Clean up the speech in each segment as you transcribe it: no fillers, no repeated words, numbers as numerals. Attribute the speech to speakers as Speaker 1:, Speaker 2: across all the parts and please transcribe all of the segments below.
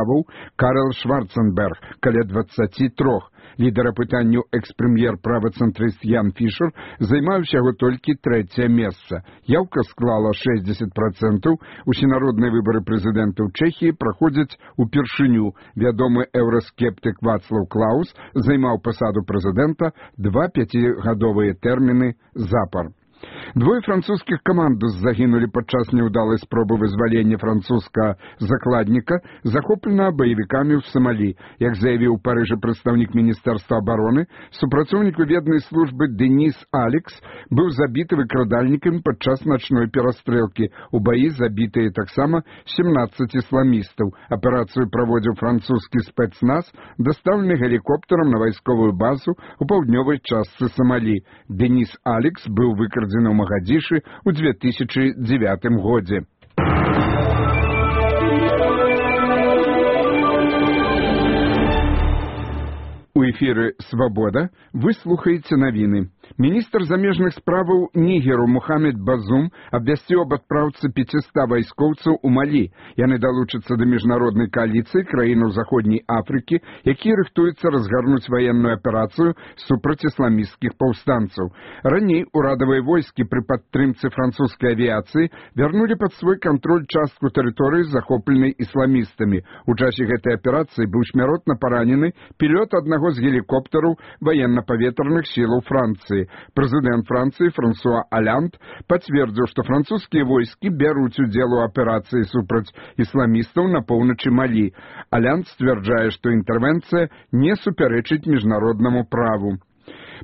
Speaker 1: справаў Карл Шварценберг, каля 23. Лідар апытанняў экс-прэм'ер правацэнтрыст Ян Фішер займаў усяго толькі 3-е месца. Яўка склала 60%. Усенародныя выбары прэзідэнта ў Чэхіі праходзяць упершыню. Вядомы еўраскептык Вацлаў Клаус займаў пасаду прэзідэнта 2 5-гадовыя тэрміны запар. Двое французскіх камандос загінулі падчас няўдалай спробы вызвалення французскага закладніка, захопленага баевікамі ў Самалі. Як заявіў у Парыжы прадстаўнік Міністэрства абароны, супрацоўнік выведнай службы Денис Алекс быў забіты выкрадальнікамі падчас начной перастрэлкі. У баі забітыя таксама 17 ісламістаў. Аперацыю праводзіў французскі спецназ, дастаўлены гелікоптарам на вайсковую базу ў паўднёвай частцы Самалі. Денис Алекс быў выкрадзены ў Магадзішы ў 2009 годзе. У эфіры «Свабода» вы слухаеце навіны. Міністр замежных справаў Нігеру Мухаммед Базум абвясціў аб адпраўцы 500 вайскоўцаў у Малі. Яны далучацца да міжнароднай кааліцыі краінаў Заходняй Афрыкі, якія рыхтуюцца разгарнуць ваенную аперацыю супраць ісламісцкіх паўстанцаў. Раней урадавыя войскі пры падтрымцы французскай авіяцыі вярнулі пад свой кантроль частку тэрыторыі, захопленай ісламістамі. У часе гэтай аперацыі быў смяротна паранены пілот аднаго з гелікоптараў ваенна-паветраных сілаў Францыі. Прэзідэнт Францыі Франсуа Алянд пацвердзіў, што французскія войскі бяруць удзел у аперацыі супраць ісламістаў на поўначы Малі. Алянд сцвярджае, што інтэрвенцыя не супярэчыць міжнароднаму праву.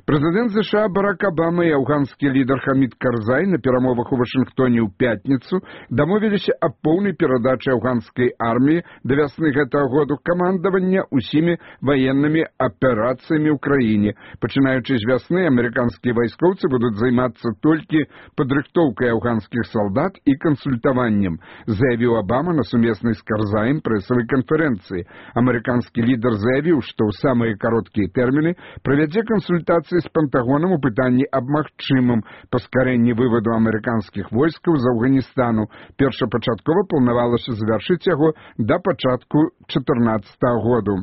Speaker 1: Прэзідэнт США Барак Абама і афганскі лідар Хамід Карзай на перамовах у Вашынгтоне ў пятніцу дамовіліся аб поўнай перадачы афганскай арміі да вясны гэтага году камандавання ўсімі ваеннымі аперацыямі ў краіне. Пачынаючы з вясны, амерыканскія вайскоўцы будуць займацца толькі падрыхтоўкай афганскіх салдат і кансультаваннем, заявіў Абама на сумеснай з Карзаем прэсавай канферэнцыі. Амерыканскі лідар заявіў, што ў самыя кароткія тэрміны правядзе кансультацыі з Пентагонам у пытанні аб магчымым паскарэнні вываду амерыканскіх войскаў з Афганістану. Першапачаткова планавалася завяршыць яго да пачатку 2014 году.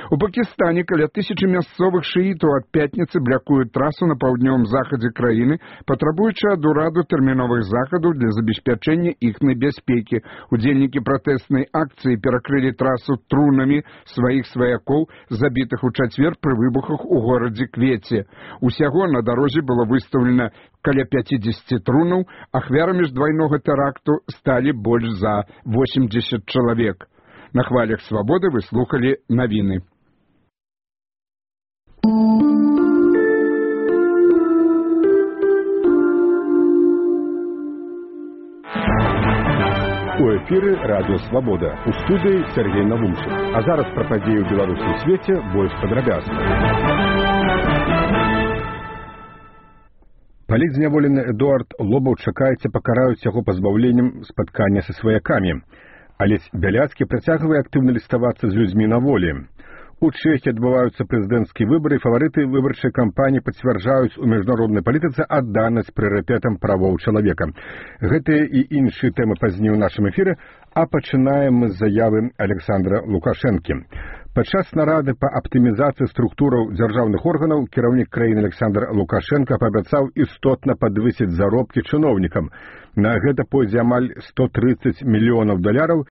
Speaker 1: У Пакістане каля 1000 мясцовых шыітаў ад пятніцы блякуюць трасу на паўднёвым захадзе краіны, патрабуючы ад ураду тэрміновых захадаў для забеспячэння іхнай бяспекі. Удзельнікі пратэснай акцыі перакрылі трасу трунамі сваіх сваякоў, забітых у чацвер пры выбухах у горадзе Квеце. Усяго на дарозе было выстаўлена каля 50 трунаў, ахвярамі ж двайнога тэракту сталі больш за 80 чалавек. На хвалях «Свабоды» вы слухали навіны.
Speaker 2: У эфіры радыё «Свабода». У студыі Сергей Навумчык. А зараз пра падзеі ў беларускім свеце больш падрабязна. Палітзняволены Эдуард Лобаў чакаецца пакараюць яго пазбаўленнем спаткання са сваякамі. Алесь Бяляцкі працягвае актыўна ліставацца з людзьмі на волі. У Чэхіі адбываюцца прэзідэнцкія выбары, і фаварыты выбарчай кампаніі пацвярджаюць у міжнароднай палітыцы адданасць прыярытэтам правоў чалавека. Гэтыя і іншыя тэмы пазней у нашым эфіры, а пачынаем мы з заявы Александра Лукашэнкі. Падчас нарады па аптымізацыі структураў дзяржаўных органаў кіраўнік краіны Александр Лукашенко паабяцаў істотна падвысіць заробкі чыноўнікам. На гэта пойдзе амаль $130 мільёнаў